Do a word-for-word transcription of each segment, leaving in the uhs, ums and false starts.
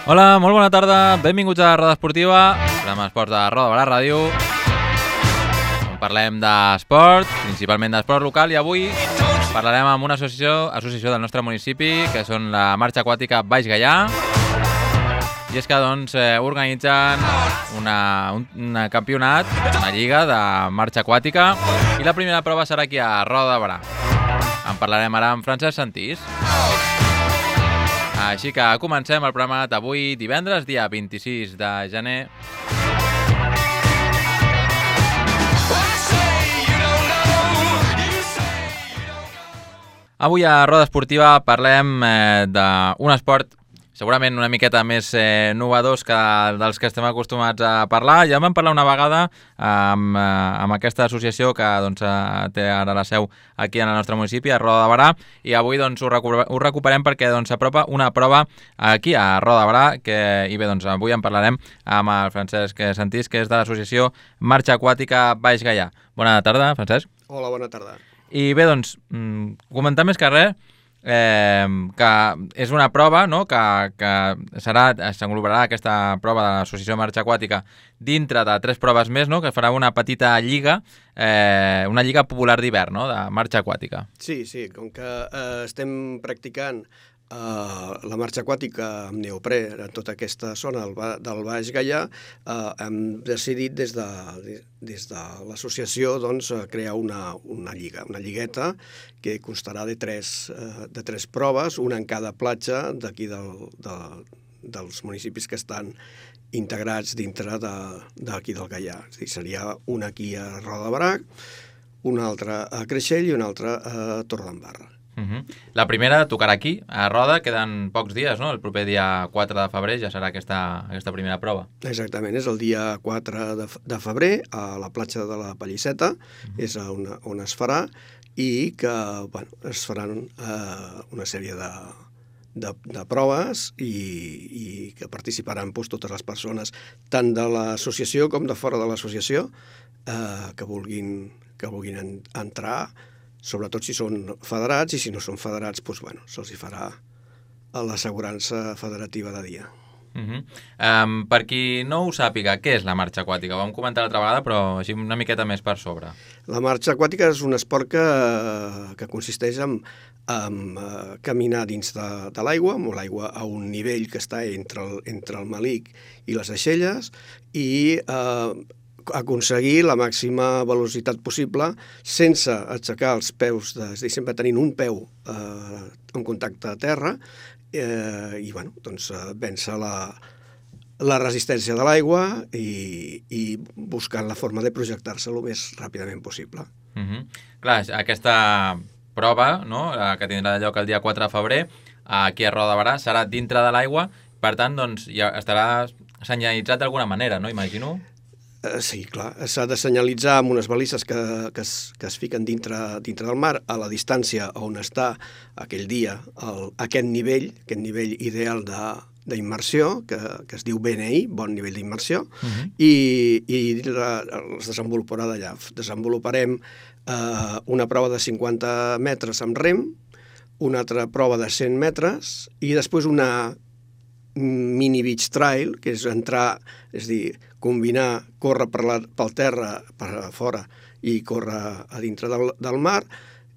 Hola, molt bona tarda, benvinguts a Roda Esportiva, programa d'esports de Roda Barà Ràdio, on parlem d'esport, principalment d'esport local, i avui parlarem amb una associació, associació del nostre municipi, que són la Marxa Aquàtica Baix Gaià, i és que doncs eh, organitzen una, un, un campionat, una lliga de marxa aquàtica, i la primera prova serà aquí a Roda Barà. En parlarem ara amb Francesc Santís. Així que comencem el programa d'avui, divendres, dia vint-i-sis de gener. Avui a Roda Esportiva parlem eh, d'un esport segurament una miqueta més eh, novedós que dels que estem acostumats a parlar. Ja vam parlar una vegada amb, eh, amb aquesta associació que doncs, eh, té ara la seu aquí en el nostre municipi, a Roda de Barà, i avui doncs, ho, recuperem, ho recuperem perquè doncs, s'apropa una prova aquí a Roda de Barà, que, i bé, doncs, avui en parlarem amb el Francesc Santís, que és de l'associació Marxa Aquàtica Baix Gaià. Bona tarda, Francesc. Hola, bona tarda. I bé, doncs, comentar més que res, Eh, que és una prova, no?, que, que serà, s'englobarà aquesta prova de l'associació Marxa Aquàtica dintre de tres proves més, no?, que farà una petita lliga, eh, una lliga popular d'hivern, no?, de marxa aquàtica. Sí, sí, com que eh, estem practicant Uh, la marxa aquàtica amb neoprè en tota aquesta zona del, ba del Baix Gaià, uh, hem decidit des de, des de l'associació doncs, crear una, una lliga, una lligueta que constarà de tres, uh, de tres proves, una en cada platja d'aquí del, de, dels municipis que estan integrats dintre d'aquí de, del Gaià. És dir, seria una aquí a Roda de Barà, una altra a Creixell i una altra a Torredembarra. Uh -huh. La primera tocarà aquí, a Roda, queden pocs dies, no? El proper dia quatre de febrer ja serà aquesta, aquesta primera prova. Exactament, és el dia quatre de, de febrer a la platja de la Pallisseta, uh -huh. és on, on es farà, i que bueno, es faran eh, una sèrie de, de, de proves i, i que participaran doncs, totes les persones, tant de l'associació com de fora de l'associació, eh, que vulguin, que vulguin en, entrar, sobretot si són federats, i si no són federats, doncs, bueno, se'ls hi farà l'assegurança federativa de dia. Uh -huh. um, per qui no ho sàpiga, què és la marxa aquàtica? Ho vam comentar l'altra vegada, però així una miqueta més per sobre. La marxa aquàtica és un esport que, que consisteix en, en uh, caminar dins de, de l'aigua, amb l'aigua a un nivell que està entre el, entre el malic i les aixelles, i uh, aconseguir la màxima velocitat possible sense aixecar els peus, de, és a dir, sempre tenint un peu eh, en contacte a terra eh, i bueno, doncs, vèncer la, la resistència de l'aigua i, i buscant la forma de projectar-se el més ràpidament possible. Uh -huh. Clar, aquesta prova, no?, que tindrà lloc el dia quatre de febrer aquí a Roda de Barà serà dintre de l'aigua, per tant doncs, ja estarà senyalitzat d'alguna manera, no?, imagino. Uh, sí, clar, s'ha de senyalitzar amb unes balises que, que, es, que es fiquen dintre, dintre del mar, a la distància on està aquell dia el, aquest nivell, aquest nivell ideal d'immersió, que, que es diu B N I, bon nivell d'immersió, uh -huh. i, i la, es desenvoluparà d'allà. Desenvoluparem uh, una prova de cinquanta metres amb rem, una altra prova de cent metres, i després una mini beach trail, que és entrar, és dir, combinar, córrer per, la, pel terra, per fora, i córrer a dintre del, del mar,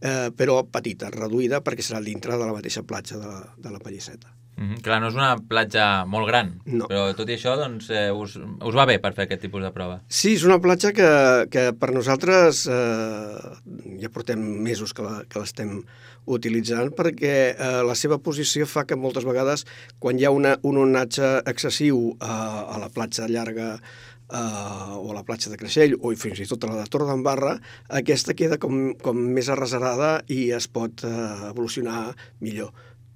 eh, però petita, reduïda, perquè serà dintre de la mateixa platja de, de la Pallisseta. Mm -hmm. Clar, no és una platja molt gran, no. Però tot i això doncs, eh, us, us va bé per fer aquest tipus de prova. Sí, és una platja que, que per nosaltres eh, ja portem mesos que l'estem utilitzant, perquè eh, la seva posició fa que moltes vegades, quan hi ha una, un onatge excessiu a, a la platja llarga Uh, o a la platja de Creixell, o fins i tot a la de Torredembarra, aquesta queda com, com més arrecerada i es pot uh, evolucionar millor.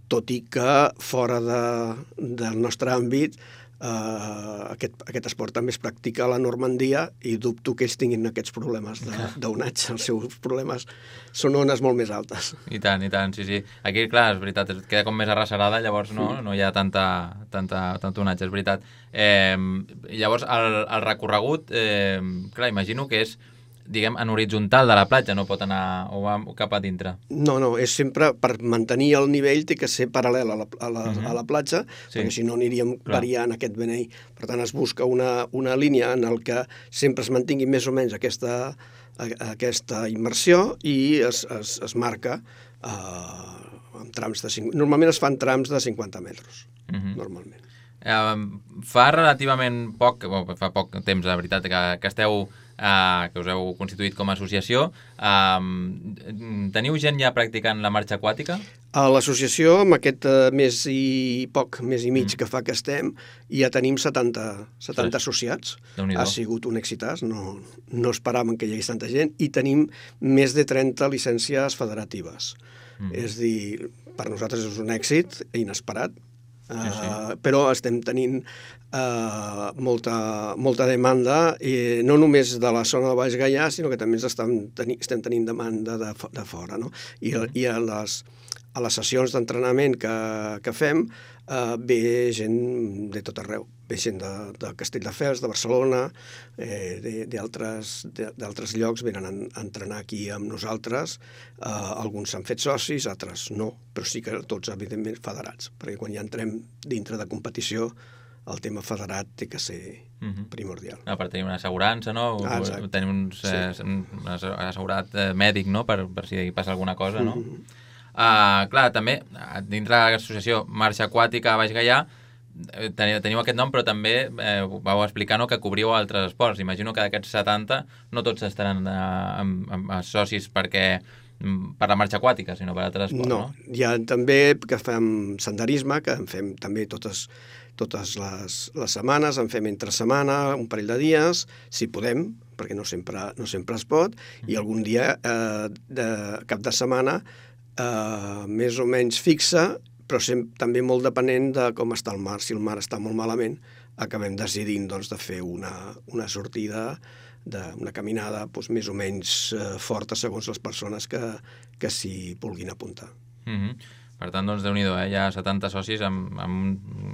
Tot i que fora de, del nostre àmbit uh, aquest, aquest esport també es practica a la Normandia i dubto que ells tinguin aquests problemes d'onatge. Els seus problemes són ones molt més altes. I tant, i tant, sí, sí. Aquí, clar, és veritat, queda com més arrecerada, llavors no, sí. no hi ha tanta, tanta, tant onatge, és veritat. Eh, llavors, el, el recorregut, eh, clar, imagino que és diguem, en horitzontal de la platja, no pot anar o va cap a dintre. No, no, és sempre, per mantenir el nivell, té que ser paral·lel a la, a la, uh-huh. a la platja, sí. perquè si no aniríem Clar. variant aquest benei. Per tant, es busca una, una línia en el que sempre es mantingui més o menys aquesta, aquesta immersió i es, es, es marca eh, en trams de... Normalment es fan trams de cinquanta metres, uh-huh. normalment. Uh, fa relativament poc, bueno, fa poc temps, la veritat, que, que esteu, uh, que us heu constituït com a associació. Uh, teniu gent ja practicant la marxa aquàtica? A l'associació, amb aquest uh, mes i poc, mes i mig mm. que fa que estem, ja tenim setanta, setanta associats. Ha sigut un èxitàs, no, no esperàvem que hi hagués tanta gent, i tenim més de trenta llicències federatives. Mm. És dir, per nosaltres és un èxit inesperat, Uh, sí, sí. però estem tenint uh, molta, molta demanda, i no només de la zona de Baix Gaià, sinó que també estem, teni, estem tenint demanda de, de fora. No? I, i a, les, a les sessions d'entrenament que, que fem uh, ve gent de tot arreu. Ve gent de, de Castelldefels, de Barcelona, eh, d'altres llocs venen a, a entrenar aquí amb nosaltres. Uh, alguns s'han fet socis, altres no, però sí que tots, evidentment, federats, perquè quan ja entrem dintre de competició, el tema federat té que ser uh-huh. primordial. Ah, per tenir una assegurança, no? Ah, tenir un, sí. eh, un assegurat eh, mèdic, no? Per, per si passa alguna cosa, no? Uh-huh. uh, clar, també, dintre de l'associació Marxa Aquàtica a Baix Gaià, teniu aquest nom, però també eh, vau explicar, no, que cobriu altres esports. Imagino que d'aquests setanta no tots estaran eh, amb, amb socis perquè per la marxa aquàtica, sinó per altres esports, no? No, hi ha també que fem senderisme, que en fem també totes, totes les, les setmanes, en fem entre setmana, un parell de dies, si podem, perquè no sempre, no sempre es pot, i algun dia eh, de cap de setmana eh, més o menys fixa, però sempre, també molt depenent de com està el mar. Si el mar està molt malament, acabem decidint doncs, de fer una, una sortida, de, una caminada doncs, més o menys eh, forta segons les persones que, que s'hi vulguin apuntar. Mm-hmm. Per tant, doncs, Déu-n'hi-do, eh? Hi ha setanta socis en, en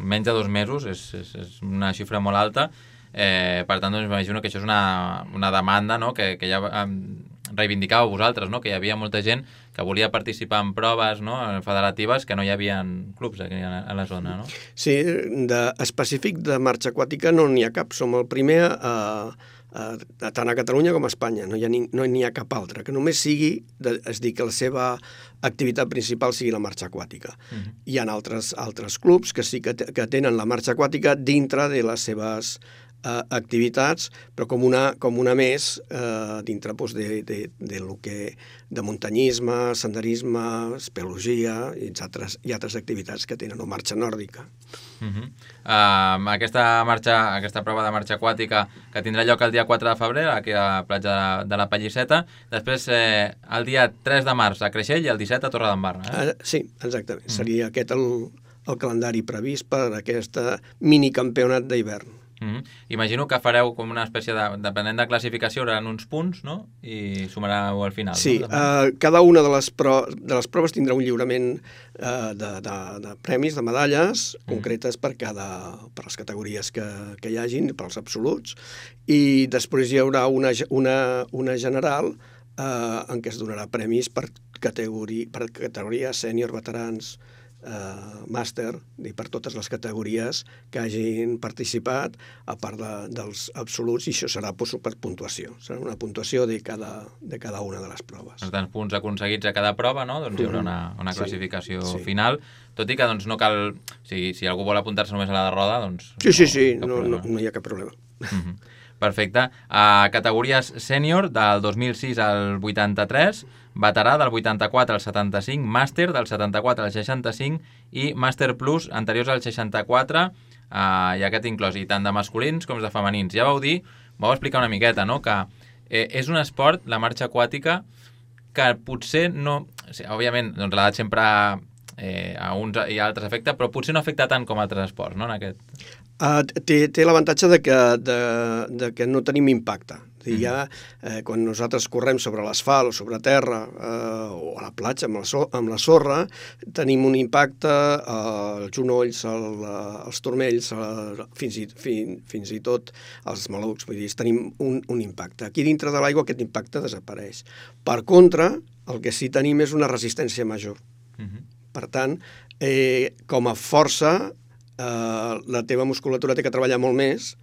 menys de dos mesos, és, és, és una xifra molt alta. Eh, per tant, doncs, m'imagino que això és una, una demanda, no? que, que ja eh, reivindicàveu vosaltres, no? Que hi havia molta gent que volia participar en proves, no? Federatives, que no hi havia clubs aquí a la zona, no? Sí, de, específic de marxa aquàtica no n'hi ha cap. Som el primer a, a, a, tant a Catalunya com a Espanya. No hi ha, ni, no n'hi ha cap altre. Que només sigui, de, és dir, que la seva activitat principal sigui la marxa aquàtica. Uh-huh. Hi ha altres, altres clubs que sí que, que tenen la marxa aquàtica dintre de les seves Uh, activitats, però com una, com una més uh, dintre pues, de, de, de, lo que, de muntanyisme, senderisme, espeleologia i altres, i altres activitats que tenen, o marxa nòrdica. Uh-huh. uh, aquesta, marxa, aquesta prova de marxa aquàtica que tindrà lloc el dia quatre de febrer aquí a la platja de, de la Pallisseta, després eh, el dia tres de març a Creixell i el disset a Torredembarra. Eh? Uh, sí, exactament. Uh-huh. Seria aquest el, el calendari previst per aquesta minicampionat d'hivern. Mm-hmm. Imagino que fareu com una espècie de, depenent de classificació, hi haurà uns punts, no? I sumareu al final. Sí, no? uh, cada una de les, pro, de les proves tindrà un lliurament uh, de, de, de premis, de medalles mm. concretes per cada per les categories que, que hi hagin, pels absoluts, i després hi haurà una, una, una general uh, en què es donarà premis per categoria, per categoria sènior, veterans, Uh, màster, i per totes les categories que hagin participat, a part de, dels absoluts, i això serà pues, per puntuació. Serà una puntuació de cada, de cada una de les proves. Per tant, punts aconseguits a cada prova, no? Doncs hi haurà una, una classificació sí, sí. final, tot i que doncs, no cal... Si, si algú vol apuntar-se només a la de roda, doncs... Sí, sí, sí, no, no, no hi ha cap problema. Mm-hmm. Perfecte. A categories sènior, del dos mil sis al vuitanta-tres, veterà del vuitanta-quatre al setanta-cinc, màster del setanta-quatre al seixanta-cinc i màster plus anteriors al seixanta-quatre, eh, i aquest inclòs, i tant de masculins com de femenins. Ja vau dir, vau explicar una miqueta, no?, que eh, és un esport, la marxa aquàtica, que potser no... O sigui, òbviament, doncs l'edat sempre eh, a uns i a altres afecta, però potser no afecta tant com altres esports, no?, en aquest... Uh, té té l'avantatge de, que, de, de que no tenim impacte. Mm. Ja, eh, quan nosaltres correm sobre l'asfalt o sobre terra eh, o a la platja amb la, so amb la sorra, tenim un impacte als genolls, al, als turmells, a, fins, i, fin, fins i tot als malucs. Vull dir, tenim un, un impacte. Aquí dintre de l'aigua aquest impacte desapareix. Per contra, el que sí tenim és una resistència major. Mm-hmm. Per tant, eh, com a força, eh, la teva musculatura té que treballar molt més,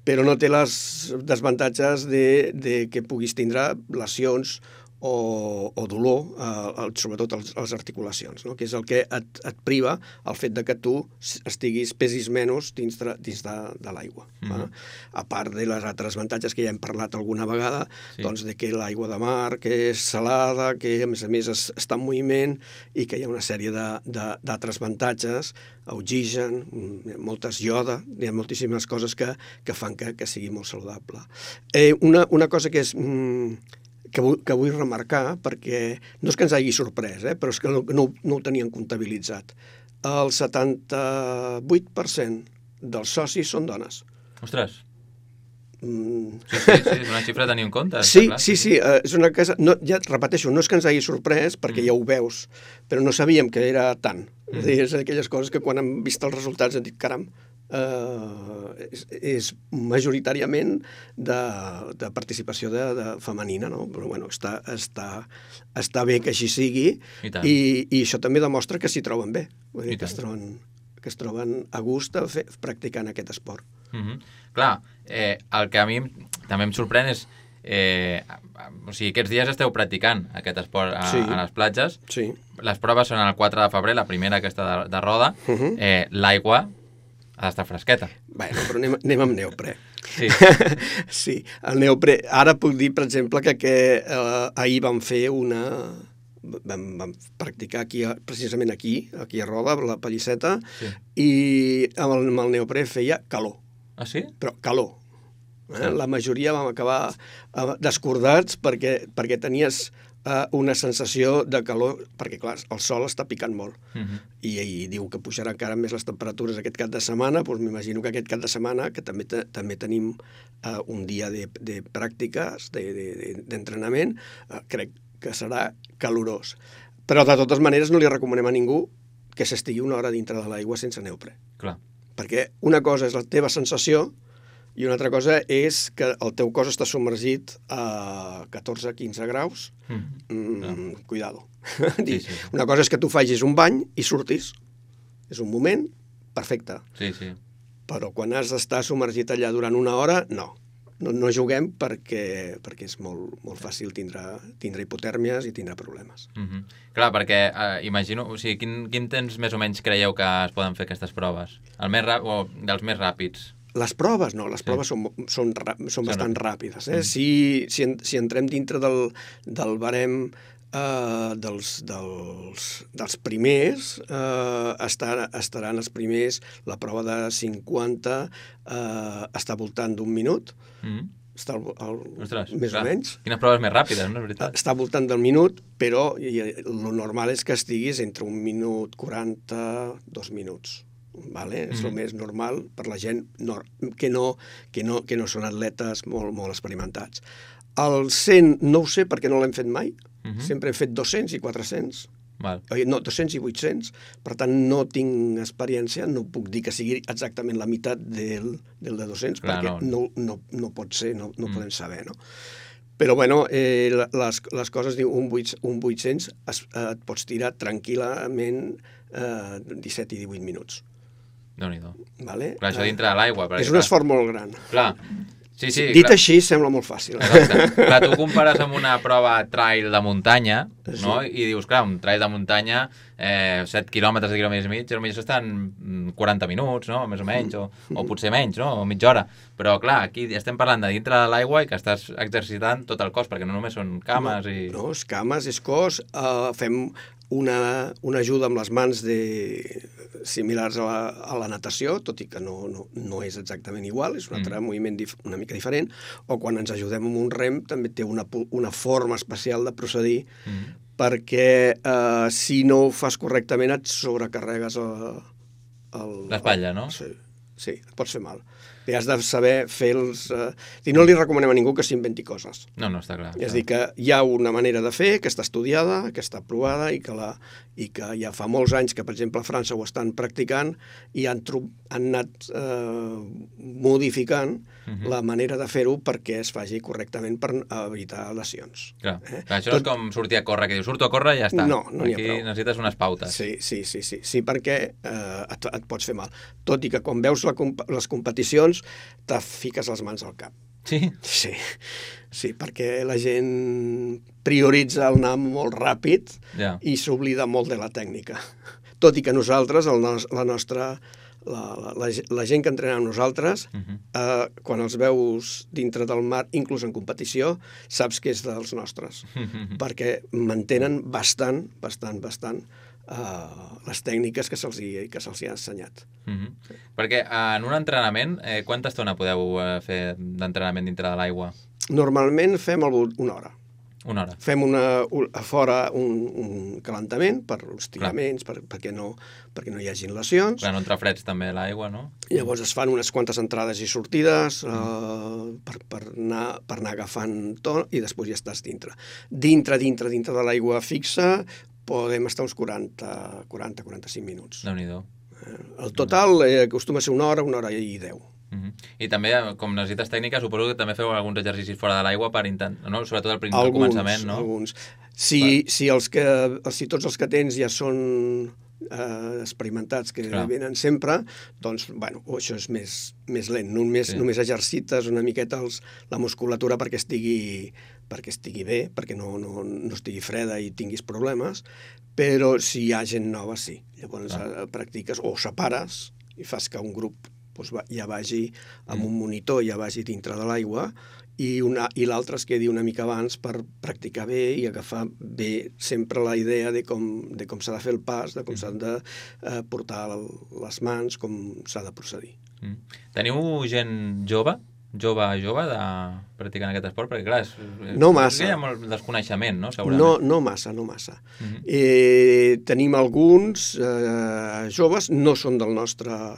però no té les desavantatges de, de que puguis tindre lesions o, o dolor, eh, sobretot a les articulacions, no? Que és el que et, et priva el fet de que tu estiguis, pesis menys dins de, dins de, de l'aigua. Mm. Eh? A part de les altres avantatges que ja hem parlat alguna vegada, sí. Doncs de que l'aigua de mar, que és salada, que a més a més es, està en moviment i que hi ha una sèrie d'altres avantatges, oxigen, moltes ioda, hi ha moltíssimes coses que, que fan que, que sigui molt saludable. Eh, una, una cosa que és... Mm, Que vull, que vull remarcar, perquè no és que ens hagi sorprès, eh, però és que no, no, no ho tenien comptabilitzat. El setanta-vuit per cent dels socis són dones. Ostres! Mm. Sí, sí, sí, és una xifra a tenir en compte. Sí, clar, sí, sí, sí, és una cosa... No, ja repeteixo, no és que ens hagi sorprès, perquè mm. ja ho veus, però no sabíem que era tant. Mm. És, dir, és aquelles coses que quan hem vist els resultats hem dit, caram, Uh, és, és majoritàriament de, de participació de, de femenina, no? Però bueno, està, està, està bé que així sigui i, i, i això també demostra que s'hi troben bé, vull dir, que, es troben, que es troben a gust a fer, practicant aquest esport. Mm-hmm. Clar, eh, el que a mi també em sorprèn és eh, o sigui, aquests dies esteu practicant aquest esport a, sí. a les platges, sí. Les proves són el quatre de febrer, la primera aquesta de, de roda, uh-huh. eh, l'aigua ha d'estar fresqueta. Bueno, però anem, anem amb neoprè. Sí. Sí, el neoprè. Ara puc dir, per exemple, que, que eh, ahir vam fer una... Vam, vam practicar aquí, precisament aquí, aquí a Roda, la Pallisseta, sí. I amb el, amb el neoprè feia calor. Ah, sí? Però calor. Eh? Sí. La majoria vam acabar eh, descordats perquè, perquè tenies... Uh, una sensació de calor, perquè clar, el sol està picant molt, uh-huh. I, i diu que pujarà encara més les temperatures aquest cap de setmana, doncs m'imagino que aquest cap de setmana, que també, te, també tenim uh, un dia de, de pràctiques, d'entrenament, de, de, uh, crec que serà calorós. Però de totes maneres no li recomanem a ningú que s'estigui una hora dintre de l'aigua sense neoprè. Clar. Perquè una cosa és la teva sensació, i una altra cosa és que el teu cos està submergit a catorze a quinze graus. Mm. Mm, cuidado. Sí, sí. Una cosa és que tu facis un bany i surtis. És un moment perfecte. Sí, sí. Però quan has d'estar submergit allà durant una hora, no. No, no juguem perquè, perquè és molt, molt fàcil tindre, tindre hipotèrmies i tindre problemes. Mm-hmm. Clar, perquè eh, imagino... O sigui, quin, quin temps més o menys creieu que es poden fer aquestes proves? El més ràpid, o dels més ràpids? Les proves, no, les proves sí. són, són, són bastant sí. ràpides. Eh? Mm. Si, si, en, si entrem dintre del, del barem eh, dels, dels, dels primers, eh, estar, estaran els primers, la prova de cinquanta eh, està voltant d'un minut, mm. està el, el, Ostres, més clar. o menys. Quines proves més ràpides, no és veritat? Està voltant del minut, però el normal és que estiguis entre un minut quaranta, dos minuts. Vale? Mm. És el més normal per la gent no, que, no, que, no, que no són atletes molt, molt experimentats. El cent no ho sé perquè no l'hem fet mai. Mm-hmm. Sempre hem fet dos-cents i quatre-cents. Val. No, dos-cents i vuit-cents. Per tant, no tinc experiència, no puc dir que sigui exactament la meitat del, del de dos-cents, clar, perquè no, no, no pot ser, no, no mm. podem saber, no? Però, bueno, eh, les, les coses, diu, un, un vuit-cents es, eh, et pots tirar tranquil·lament eh, disset i divuit minuts. Déu-n'hi-do. Vale? Clar, això dintre de l'aigua. És un esforç molt gran. Clar. Sí, sí, Dit clar. Així, sembla molt fàcil. Exacte. Clar, tu compares amb una prova trail de muntanya, sí. No? I dius, clar, un trail de muntanya, eh, set quilòmetres, set quilòmetres i mig, potser estan quaranta minuts, no? Més o menys, o, o potser menys, no? O mitja hora. Però, clar, aquí estem parlant de dintre de l'aigua i que estàs exercitant tot el cos, perquè no només són cames no, i... No, és cames, és cos. Uh, fem una, una ajuda amb les mans de, similars a la, a la natació, tot i que no, no, no és exactament igual, és un altre mm. moviment dif, una mica diferent, o quan ens ajudem amb un rem també té una, una forma especial de procedir, mm. perquè eh, si no ho fas correctament et sobrecarregues el... l'espatlla, no? Sí. sí, et pots fer mal. I has de saber fer els... Eh... I no li recomanem a ningú que s'inventi coses. No, no, està clar. És a dir, que hi ha una manera de fer que està estudiada, que està provada i que, la, i que ja fa molts anys que, per exemple, a França ho estan practicant i han, tru... han anat eh, modificant uh -huh. la manera de fer-ho perquè es faci correctament per evitar lesions. Clar. Eh? Clar, això Tot... no és com sortir a córrer, que dius, surto a córrer i ja està. No, no n'hi ha Aquí prou. necessites unes pautes. Sí, sí, sí, sí, sí perquè eh, et, et pots fer mal. Tot i que quan veus la comp les competicions te fiques les mans al cap. Sí? Sí, sí, perquè la gent prioritza el anar molt ràpid yeah. i s'oblida molt de la tècnica. Tot i que nosaltres, el nos la nostra... La, la, la, la gent que entrena amb nosaltres, uh -huh. eh, quan els veus dintre del mar, inclús en competició, saps que és dels nostres, uh -huh. perquè mantenen bastant, bastant, bastant Uh, les tècniques que se'ls que se'ls ha ensenyat. Uh -huh. sí. Perquè uh, en un entrenament, eh, quanta estona podeu uh, fer d'entrenament dintre de l'aigua? Normalment fem el, una hora. Una hora. Fem una, un, a fora un, un calentament per els tiraments, per, perquè, no, perquè no hi hagin lesions. Clar, no entra freds també l'aigua, no? I llavors es fan unes quantes entrades i sortides uh, per, per, anar, per anar agafant to i després ja estàs dintre. Dintre, dintre, dintre de l'aigua fixa podem estar uns quaranta a quaranta-quaranta-cinc minuts. Déu-n'hi-do. El total eh, acostuma a ser una hora, una hora i deu. Uh -huh. I també, com necessites tècnica, suposo que també feu alguns exercicis fora de l'aigua per intentar, no? Sobretot al principi, al començament, no? Alguns, si, per... si, els que, si tots els que tens ja són eh, experimentats, que Clar. venen sempre, doncs, bueno, això és més, més lent. Només, sí. només exercites una miqueta els, la musculatura perquè estigui perquè estigui bé, perquè no, no, no estigui freda i tinguis problemes, però si hi ha gent nova, sí. Llavors ah. practiques o separes i fas que un grup doncs, ja vagi amb mm. un monitor, ja vagi dintre de l'aigua i, i l'altre es quedi una mica abans per practicar bé i agafar bé sempre la idea de com, de com s'ha de fer el pas, de com mm. s'han de eh, portar les mans, com s'ha de procedir. Mm. Teniu gent jove? jove jove de practicar aquest esport? Perquè, clar, és, no massa. Hi ha molt desconeixement, no? Segurament. No, no massa, no massa. Uh-huh. eh, tenim alguns eh, joves, no són del nostre...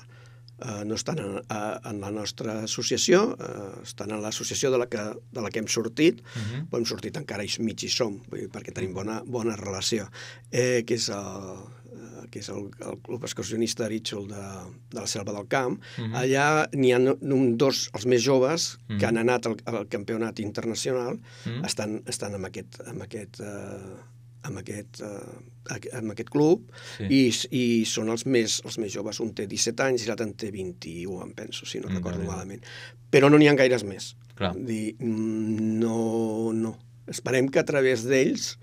Eh, no estan en, en la nostra associació, eh, estan en l'associació de, la que, de la que hem sortit, uh-huh. però hem sortit encara i mig hi som, perquè tenim bona, bona relació, eh, que és el... que és el, el Club Excursionista Ritxol de, de la Selva del Camp. Uh-huh. Allà n'hi ha un, dos, els més joves, uh-huh. que han anat al, al campionat internacional, uh-huh. estan, estan amb aquest, amb aquest, uh, amb aquest, uh, amb aquest club, sí. i, i són els més, els més joves. Un té disset anys i l'altre en té vint-i-u, em penso, si no mm, recordo bé. malament. Però no n'hi ha gaires més. Clar. Dir, no, no. Esperem que a través d'ells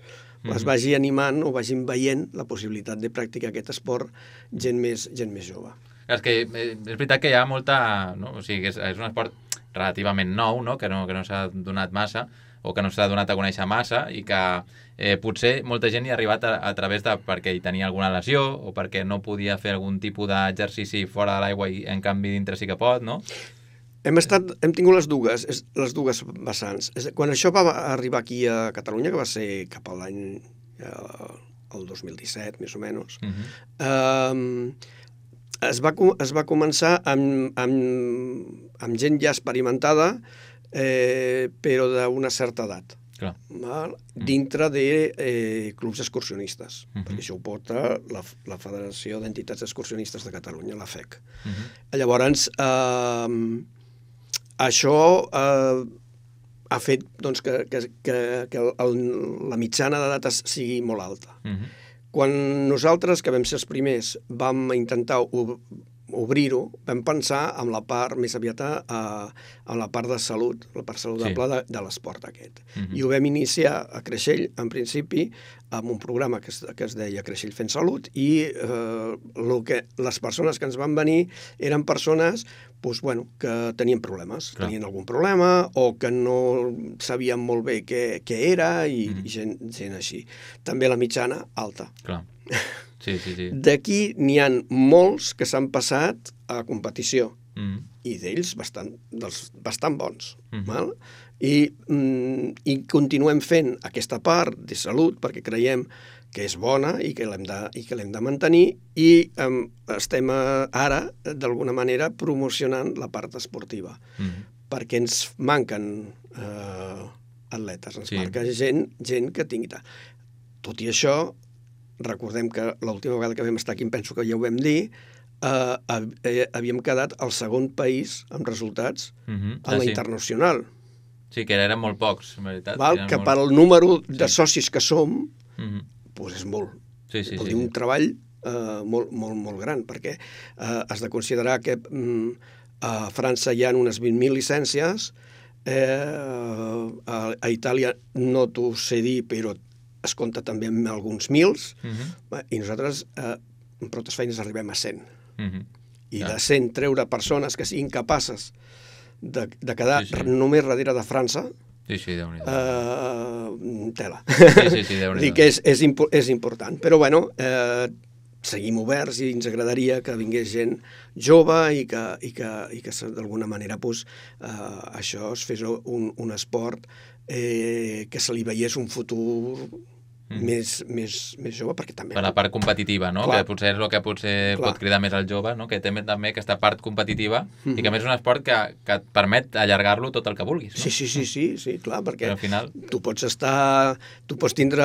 es vagi animant o vagin veient la possibilitat de practicar aquest esport gent més, gent més jove. És que és veritat que hi ha molta... No? O sigui, és, és un esport relativament nou, no? Que no, que no s'ha donat massa, o que no s'ha donat a conèixer massa, i que eh, potser molta gent hi ha arribat a, a través de perquè hi tenia alguna lesió, o perquè no podia fer algun tipus d'exercici fora de l'aigua i en canvi dintre sí que pot, no? Hem, estat, hem tingut les dues, les dues vessants. Quan això va arribar aquí a Catalunya, que va ser cap a l'any el dos mil disset, més o menys, uh-huh. eh, es, va, es va començar amb, amb, amb gent ja experimentada, eh, però d'una certa edat. Clar. Val? Dintre de eh, clubs excursionistes, uh-huh. perquè això ho porta la, la Federació d'Entitats Excursionistes de Catalunya, la F E C. Uh-huh. Llavors, eh, això eh, ha fet doncs, que, que, que, que el, la mitjana d'edat sigui molt alta. Uh-huh. Quan nosaltres, que vam ser els primers, vam intentar ob obrir-ho, vam pensar en la part més aviat a, en la part de salut, la part saludable sí. de, de l'esport aquest. Uh-huh. I ho vam iniciar a Creixell, en principi, amb un programa que es, que es deia Creixell fent salut, i eh, lo que, les persones que ens van venir eren persones doncs, bueno, que tenien problemes, Clar. tenien algun problema, o que no sabien molt bé què, què era, i, uh-huh. i gent, gent així. També la mitjana alta. Clar. Sí, sí, sí. D'aquí n'hi ha molts que s'han passat a competició. Mm. i d'ells bastant, dels, bastant bons. Mhm. Val? I, mm, I continuem fent aquesta part de salut perquè creiem que és bona i que l'hem de, i que l'hem de mantenir i um, estem uh, ara, d'alguna manera, promocionant la part esportiva. Mhm. Perquè ens manquen uh, atletes, ens Sí. manca gent, gent que tingui... Tot i això, recordem que l'última vegada que vam estar aquí, em penso que ja ho vam dir, uh, havíem quedat el segon país amb resultats Mhm. a Ah, la sí. internacional. Sí, que eren molt pocs, en veritat. Val? Eren Que molt... pel número de socis que som, Mhm. doncs és molt. Sí, sí, Vol sí. dir un sí. treball uh, molt, molt, molt gran, perquè uh, has de considerar que um, a França hi ha unes vint mil llicències, eh, a, a Itàlia no t'ho sé dir, però es compta també amb alguns mils, Mhm. i nosaltres eh, amb prou feines arribem a cent. Mhm. I Ja. de cent treure persones que siguin capaces de, de quedar Sí, sí. només darrere de França, Sí, sí, Déu-n'hi-do. eh, tela. Sí, sí, sí, Déu-n'hi-do. Dic que és, és, impo és important. Però, bueno, eh, seguim oberts i ens agradaria que vingués gent jove i que, i que, i que d'alguna manera pues, eh, això es fes un, un esport eh, que se li veiés un futur Mm. més, més, més jove, perquè també... Per la part competitiva, no? Clar. Que potser és el que potser Clar. pot cridar més al jove, no? Que té també aquesta part competitiva Mhm. i que a més és un esport que, que et permet allargar-lo tot el que vulguis, no? Sí, sí, sí, sí, sí, clar, perquè Però al final... tu pots estar... Tu pots tindre...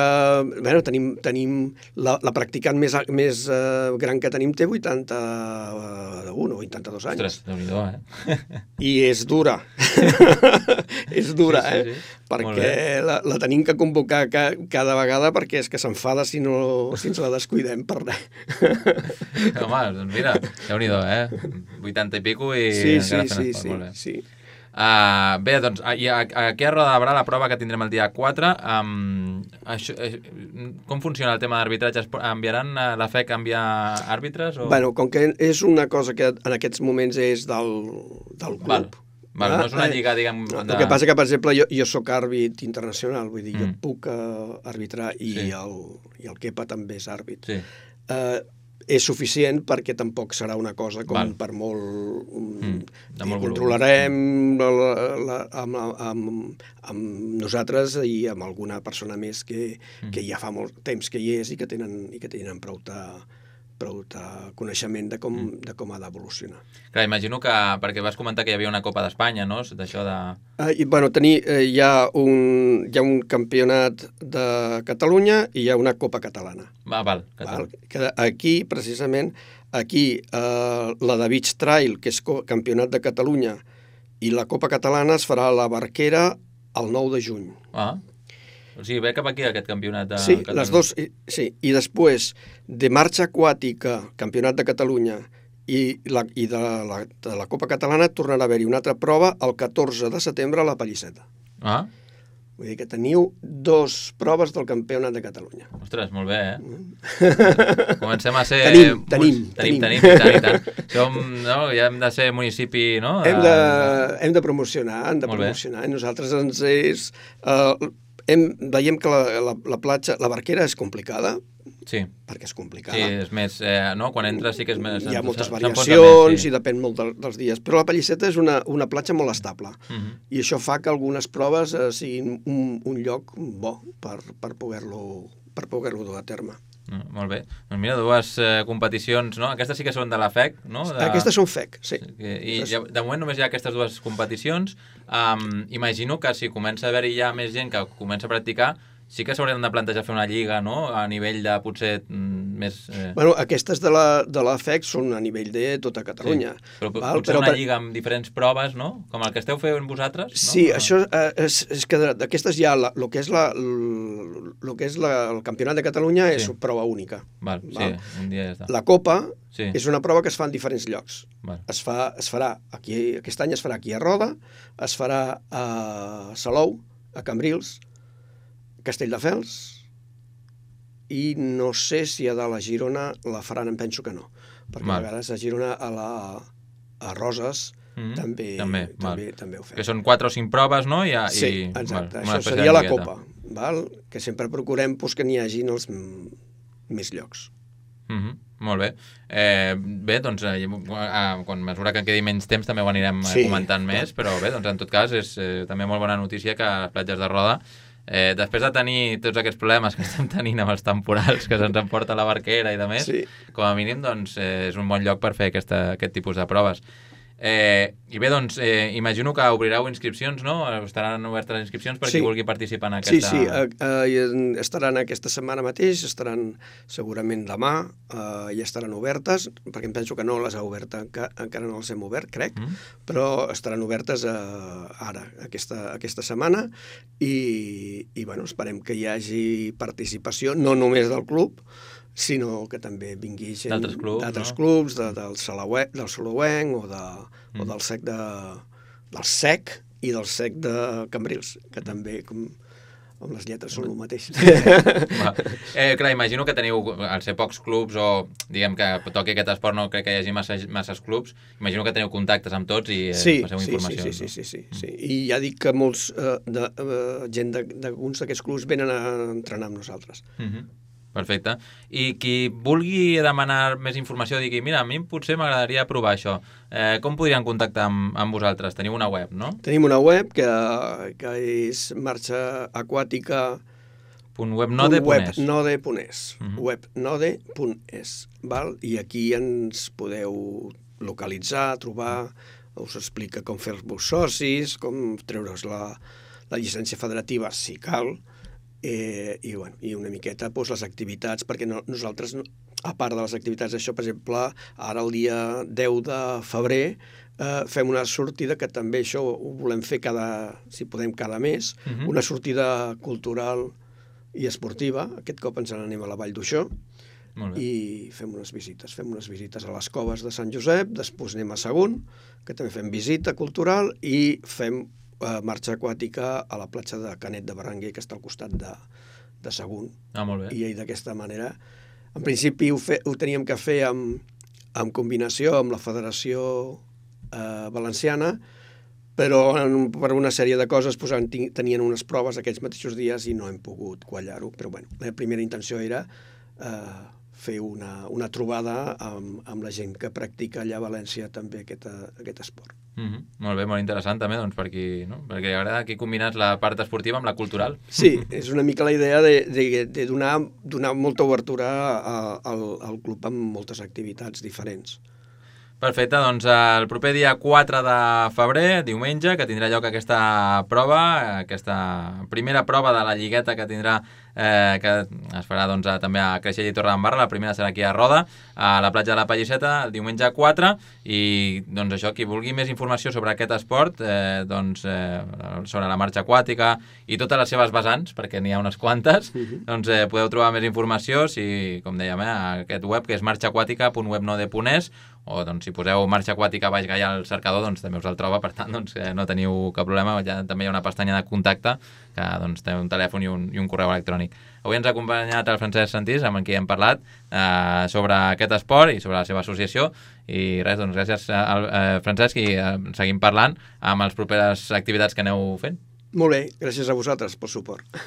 Bueno, tenim, tenim la, la practicant més, més uh, gran que tenim té vuitanta-un o vuitanta-dos anys. Ostres, Déu-n'hi-do, eh? I és dura. és dura, Sí, sí, eh? sí. Molt Perquè la, la tenim que convocar ca, cada vegada perquè és que s'enfada si, no, si ens la descuidem per res. Home, doncs mira, Déu-n'hi-do, eh? vuitanta i pico i Sí, sí, encara fent sí, esport, sí, molt bé. sí. Uh, bé, doncs, i aquí a Roda de Barà, la prova que tindrem el dia quatre, um, això, eh, com funciona el tema d'arbitratge? Enviaran, uh, la F E C envia àrbitres? O... Bueno, com que és una cosa que en aquests moments és del, del club... Val. Val, no és una eh, lliga, diguem... No, de... El que passa que, per exemple, jo, jo sóc àrbit internacional, vull dir, mm. jo Mm. puc uh, arbitrar i, Sí. el, i el Kepa també és àrbit. Sí. Uh, és suficient perquè tampoc serà una cosa com Val. per molt... Mm, de molt volum. controlarem la, la, la, amb, amb, amb nosaltres i amb alguna persona més que, Mm. que ja fa molt temps que hi és i que tenen, i que tenen prou de, prou de coneixement de com, Mm. de com ha d'evolucionar. Clar, imagino que, perquè vas comentar que hi havia una Copa d'Espanya, no? D'això de... Uh, i, bueno, tenir, eh, hi, ha un, hi ha un campionat de Catalunya i hi ha una Copa Catalana. Va, val, Val? Catalunya. Que aquí, precisament, aquí eh, la de Beach Trail, que és campionat de Catalunya, i la Copa Catalana es farà a la Barquera el nou de juny. Ah, o sigui, ve cap aquí aquest campionat de Sí, Catalunya. les dos, i- sí, i després de marxa aquàtica, campionat de Catalunya, i, la, i de, la, de la Copa Catalana tornarà a haver-hi una altra prova el catorze de setembre a la Pallisseta. Ah, Vull dir que teniu dos proves del campionat de Catalunya. ostres, molt bé, eh? Comencem a ser... Tenim, tenim, tenim, tenim. tenim, i tant, i tant. Som, no? Ja hem de ser municipi, no? Hem de, hem de promocionar, hem de Molt bé. promocionar. I nosaltres ens és... Uh, hem, veiem que la, la, la platja, la barquera és complicada, Sí, perquè és sí, complicada. és més... Eh, no? Quan entres sí que és més... Hi ha moltes s'enfonsa variacions més, sí. i depèn molt de, dels dies. Però la Pallisseta és una, una platja molt estable. Mhm. I això fa que algunes proves eh, siguin un, un lloc bo per, per poder-lo per poder-lo dur a terme. Mm, molt bé. Doncs mira, dues eh, competicions, no? Aquestes sí que són de la F E C, no? De... Aquestes són F E C, sí. Que- I ja, de moment només hi ha aquestes dues competicions. Um, imagino que si comença a haver-hi ja més gent que comença a practicar, sí que s'haurien de plantejar fer una lliga, no? A nivell de potser mm, més... Eh... Bueno, aquestes de la, de la F E C són a nivell de tota Catalunya. Sí. Però val? potser Però una per- lliga amb diferents proves, no? Com el que esteu fent vosaltres, no? Sí, això eh, és, és que de- d'aquestes hi ha la, el que és, la, el, lo que és la, el Campionat de Catalunya és Sí. prova única. Val, Val. sí, un dia ja està. La Copa Sí. és una prova que es fa en diferents llocs. Val. Es, fa, es farà aquí, aquest any es farà aquí a Roda, es farà a Salou, a Cambrils, Castelldefels, i no sé si a dalt a Girona la faran, em penso que no, perquè Val. a vegades a Girona, a, la, a Roses, Mhm. també, També, val. també, també ho fem. Que són quatre o cinc proves, no? I, Sí, i, exacte. val, una Això espècie seria de la lligueta. Copa, val? Que sempre procurem pues, que n'hi hagin els mm, més llocs. Mhm. Molt bé. Eh, bé, doncs, eh, quan mesura que quedi menys temps també ho anirem sí, comentant clar. més, però bé, doncs en tot cas és eh, també molt bona notícia que les platges de Roda, eh, després de tenir tots aquests problemes que estem tenint amb els temporals que se'ns emporta la barquera i de més, sí. com a mínim doncs, eh, és un bon lloc per fer aquesta, aquest tipus de proves. Eh, I bé, doncs, eh, imagino que obrireu inscripcions, no? Estaran obertes les inscripcions per sí. qui vulgui participar en aquesta... Sí, sí, eh, eh, estaran aquesta setmana mateix, estaran segurament demà, eh, ja estaran obertes, perquè em penso que no les ha obert, enca encara no les hem obert, crec, mm. però estaran obertes eh, ara, aquesta, aquesta setmana, i, i bueno, esperem que hi hagi participació, no només del club, sinó que també vingui gent d'altres clubs, no? clubs de, del, Salauenc, del Salauenc o, de, mm. o del sec de, del sec i del sec de Cambrils, que també com, amb les lletres són el mateix. eh, clar, imagino que teniu, al ser pocs clubs o diguem que toqui aquest esport, no crec que hi hagi massa, masses clubs, imagino que teniu contactes amb tots i eh, sí, passeu sí, informació. Sí, sí, sí, sí, sí, sí. I ja dic que molts eh, de, eh, gent d'alguns d'aquests clubs venen a entrenar amb nosaltres. Mhm. Perfecte. I qui vulgui demanar més informació, digui, mira, a mi potser m'agradaria provar això. Eh, com podrien contactar amb, amb vosaltres? Teniu una web, no? Tenim una web que, que és marxa aquàtica... webnode punt es. webnode punt es. Uh-huh. webnode punt es. Val? I aquí ens podeu localitzar, trobar, us explica com fer-vos socis, com treure's la, la llicència federativa, si cal, Eh, i, bueno, i una miqueta doncs, les activitats, perquè no, nosaltres, a part de les activitats d'això, per exemple, ara el dia deu de febrer eh, fem una sortida que també això ho volem fer cada, si podem, cada mes, uh-huh. una sortida cultural i esportiva. Aquest cop ens n'anem a la Vall d'Uixó i fem unes visites. Fem unes visites a les coves de Sant Josep, després anem a Sagunt, que també fem visita cultural, i fem marxa aquàtica a la platja de Canet de Berenguer, que està al costat de, de Sagunt. Ah, molt bé. I d'aquesta manera, en principi ho, fe, ho teníem que fer amb, amb combinació amb la Federació eh, Valenciana, però en, per una sèrie de coses pues, tenien unes proves aquells mateixos dies i no hem pogut quallar-ho. Però bueno, la primera intenció era eh, fer una, una trobada amb, amb la gent que practica allà a València també aquest, aquest esport. Mm-hmm. Molt bé, molt interessant també, doncs, per qui, no? perquè agrada aquí combinats la part esportiva amb la cultural. Sí, és una mica la idea de, de, de donar, donar molta obertura a, al, al club amb moltes activitats diferents. Perfecte, doncs el proper dia quatre de febrer, diumenge, que tindrà lloc aquesta prova, aquesta primera prova de la lligueta que tindrà, eh, que es farà doncs, a, també a Creixell i Torredembarra, la primera serà aquí a Roda, a la platja de la Pallisseta, el diumenge quatre, i doncs això, qui vulgui més informació sobre aquest esport, eh, doncs, eh, sobre la marxa aquàtica i totes les seves vessants, perquè n'hi ha unes quantes, uh-huh. doncs eh, podeu trobar més informació, si, com dèiem, eh, a aquest web, que és marxa aquàtica punt webnode punt es, o doncs, si poseu marxa aquàtica baix Gaià al cercador, doncs també us el troba, per tant doncs, eh, no teniu cap problema, ja, també hi ha una pestanya de contacte que doncs, té un telèfon i un, i un correu electrònic. Avui ens ha acompanyat el Francesc Santís, amb qui hem parlat eh, sobre aquest esport i sobre la seva associació, i res, doncs gràcies al eh, Francesc, i eh, seguim parlant amb les properes activitats que aneu fent. Molt bé, gràcies a vosaltres pel suport.